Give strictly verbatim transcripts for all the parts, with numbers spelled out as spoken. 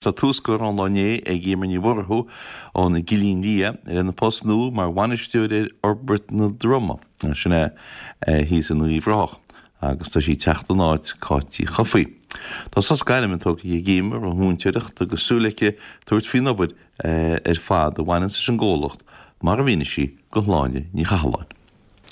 Tá tús curtha an lá inné ag Emer Ní Mhurchú ón gCillín Liath ar an post nua mar bhainisteoir ar Fhorbairt na Droma, sin é thíos in Uíbh Ráthach, agus tá sí ag teacht in áit Cáit Uí Chofaigh. Tá sos gairme tógtha ag Emer ón mhúinteoireacht agus súil aici tabhairt faoin obair ar fad a bhaineann leis an gcomhlacht mar a mhínigh sí do Shláine Ní Chathalláin.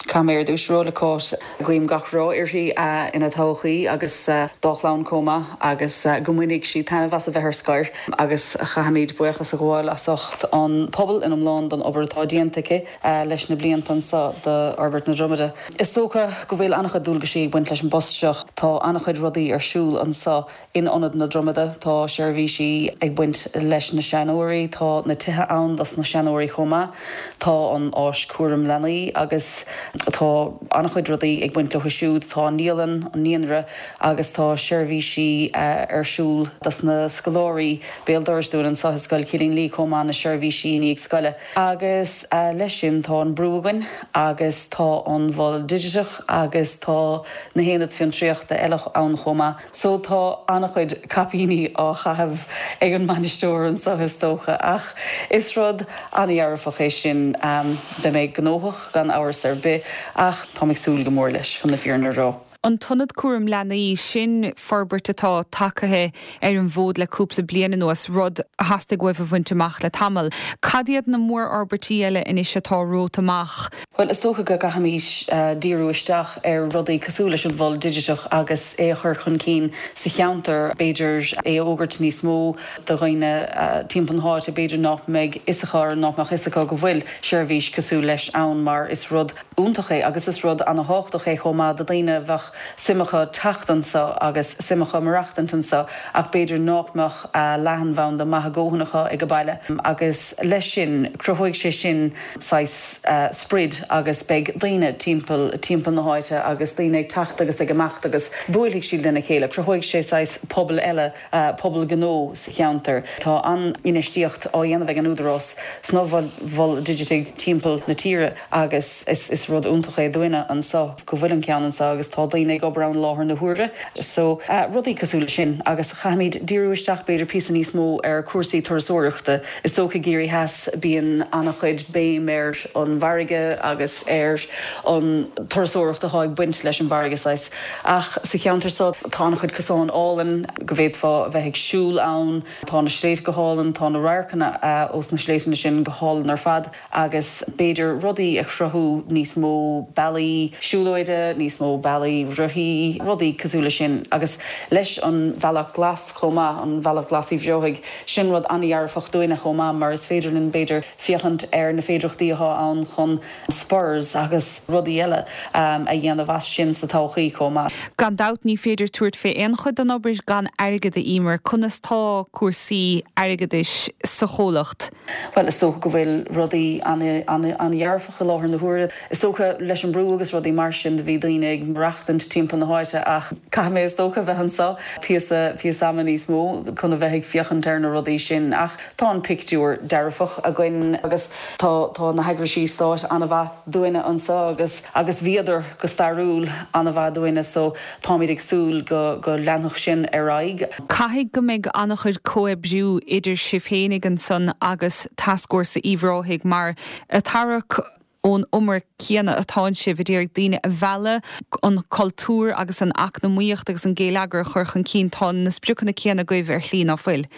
Caithfidh mé ar dtús rá le Cáit guím gach rath uirthi ina todhchaí agus dá clann chomh maith agus go mbainfidh sí taitneamh as a bheith ar scor agus caithfimid buíochas a ghabháil as ucht an pobal in iomlán don obair atá déanta aici leis na blianta anseo d'Fhorbairt na Dromada. Is dócha go bhfuil an-chuid dualgaisí ag baint leis an bpost seo tá an-chuid rudaí ar siúl anseo in ionad na Dromada tá seirbhísí ag baint leis na seanóirí, tá na tithe ann dos na seanóirí chomh maith, tá an áis cúram leanaí agus tá an-chuid rudaí ag baint leo siúd tá naíolann an naíonra agus tá seirbhísí ar siúl dos na scoláirí béal dorais dúinn anseo i Scoil Chillín Liath chomh maith na seirbhísí i ndiaidh scoile. Agus leis sin tá an brú againn agus tá an mhol digiteach agus tá na haonaid fiontraíochta eile ann chomh maith. So tá an-chuid caipíní á chaitheamh ag an mbainisteoir anseo is dócha ach is rud an-dearfach é sin um, beidh mé gnóthach gan amhras ar bith ach tá súil go mór leis chun na fírinne a rá. An t-ionad cúram leanaí sin forbairt atá tagtha ar an bhfód le cúpla bliain anuas rud a theastaigh uaibh a bhaint amach le tamall. Cad iad na mórfhorbairtí eile anois atá romhat amach. Well is dócha go gcaithfimid uh, díriú isteach ar rudaí cosúil leis an mhol digiteach agus é a chur chun cinn sa cheantar b'fhéidir é a fhógairt níos mó do dhaoine uh, timpeall na háite b'fhéidir nach mbeidh fhios acu nach mbeadh fhios acu go bhfuil seirbhís cosúil leis ann mar is rud iontach é agus is rud an-tábhachtach é chomh maith do daoine bheadh suim acu teacht anseo agus suim acu maireachtaint anseo ach b'fhéidir nach mbeadh uh, leathanbhanda maith go leor acu ag an baile agus leis sin cruthóidh sé sin saghas uh, sprid agus beidh daoine timpeall timpeall na háite agus daoine ag teacht agus ag imeacht agus buailfidh siad lena chéile, cruthóidh sé saghas pobal eile uh, pobal gnó sa cheantar. Tá an infheistíocht á dhéanamh ag an údarás sna mhoil dhigitigh timpeall na tíre agus is, is rud iontach é dúinne anseo go bhfuil an ceann anseo agus tá daoine ag obair ann láthair na huaire. So uh, rudaí cosúil sin agus caithfimid díriú isteach b'fhéidir píosa níos mó ar cúrsaí turasóireachta. Is dócha i gCiarraí Theas bíonn an-chuid béim ar an bhfarraige agus ar an turasóireacht atá ag baint leis an bhfarraige saghas. Ach sa cheantar seo tá an-chuid cosán álainn go bhféadfá bheith ag siúl ann, tá na sléibhte go hálainn tá na radharcanna uh, ós na sléibhte sin go hálainn ar fad agus b'fhéidir rudaí a chruthú níos mó bealaí siúlóide, níos mó bealaí rothaí, rudaí cosúil sin agus leis an bhealach glas chomh maith an bhealach glas Uíbh Ráthaigh sin rud an-dearfach dúinne chomh maith mar is féidir linn b'fhéidir féachaint ar na féidearthachtaí atá ann chun spurs agus rudaí eile um, a dhéanamh as sin sa todhchaí chomh maith. Gan dabht ní féidir tabhairt fé aon chuid den obair gan airgead a Emer conas tá cúrsaí airgeadais sa chomhlacht. Well is dócha go bhfuil rudaí an-dearfach i láthair na huaire. Is dócha leis an brú agus rudaí mar sin do bhí daoine ag maireachtaint timpeall na háite ach caithfidh mé is dócha bheith anseo píosa píosa ama níos mó chun a bheith ag féachaint ar na rudaí sin ach tá an pictiúr dearfach againn agus tá tá na heagraisí stáit an-mhaith dúinne anseo agus agus bhíodar go stairiúil an-mhaith dúinne so táimid ag súil go go leanfadh sin ar aghaidh. Caithfidh go mbeidh an-chuid comhoibriú idir sibh féinig ansan agus Tascfhórsa Uíbh Ráthaigh mar a tarrac ón umar céanna atá sibh ag iarraidh daoine a mhealladh an cultúr agus an eacnamaíocht agus an geilleagar a chur chun cinn tá na spriocanna céanna agaibh ar shlí ná fuil.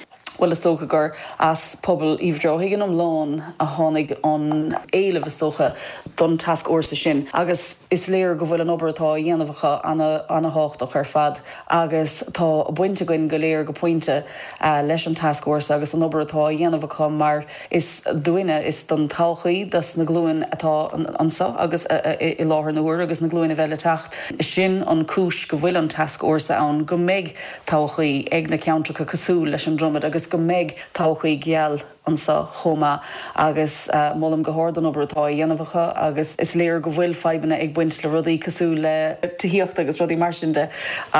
Well is dócha gur as pobal Uíbh Ráthaigh in iomlán a tháinig an éileamh is dócha don tascfhórsa sin. Agus is léir go bhfuil an obair atá á dhéanamh acu an-tábhachtach ar fad agus tá baint againn go léir go pointe uh, leis an tascfhórsa agus an obair atá á dhéanamh acu mar is dúinne is don todhchaí dos na glúin atá anseo agus uh, i láthair na huaire agus na glúin a bheidh le teacht. Sin an cúis go bhfuil an tascfhórsa ann go mbeidh todhchaí ag na ceantracha cosúil leis an Dromad agus go mbeidh todhchaí geal anseo chomh maith agus molaim go hard an obair atá á dhéanamh acu agus is léir go bhfuil fadhbanna ag baint le rudaí cosúil le tithíocht agus rudaí mar sin de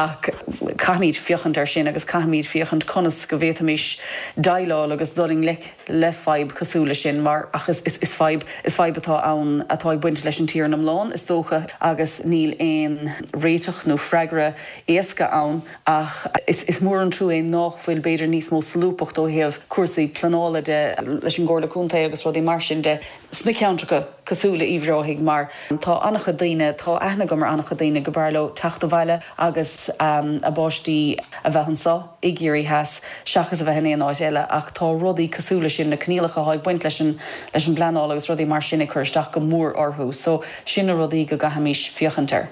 ach caithfimid féachaint air sin agus caithfimid féachaint conas go bhféadfaimis déileáil agus dul i ngleic le fadhb cosúil le sin mar ach is, is, is fadhb is fadhb atá ann atá ag baint leis an tír iomlán is dócha agus níl aon réiteach nó freagra éasca ann ach is, is mór an trua é nach bhfuil b'fhéidir níos mó solúbthacht ó thaobh cúrsaí pleanála de leis an gComhairle Contae agus rudaí mar sin de sna ceantracha cosúil le Uíbh Ráthaigh mar tá an-chuid daoine tá aithne agam ar an-chuid daoine go mb'fhearr leo teacht abhaile agus um, a bpáistí a bheith anseo i gCiarraí Theas seachas a bheith in aon áit eile ach tá rudaí cosúil le sin na coinníollacha atá ag baint leis an leis an bpleanáil agus rudaí mar sin ag cur isteach go mór orthu, so sin na rudaí go gcaithfimis féachaint air.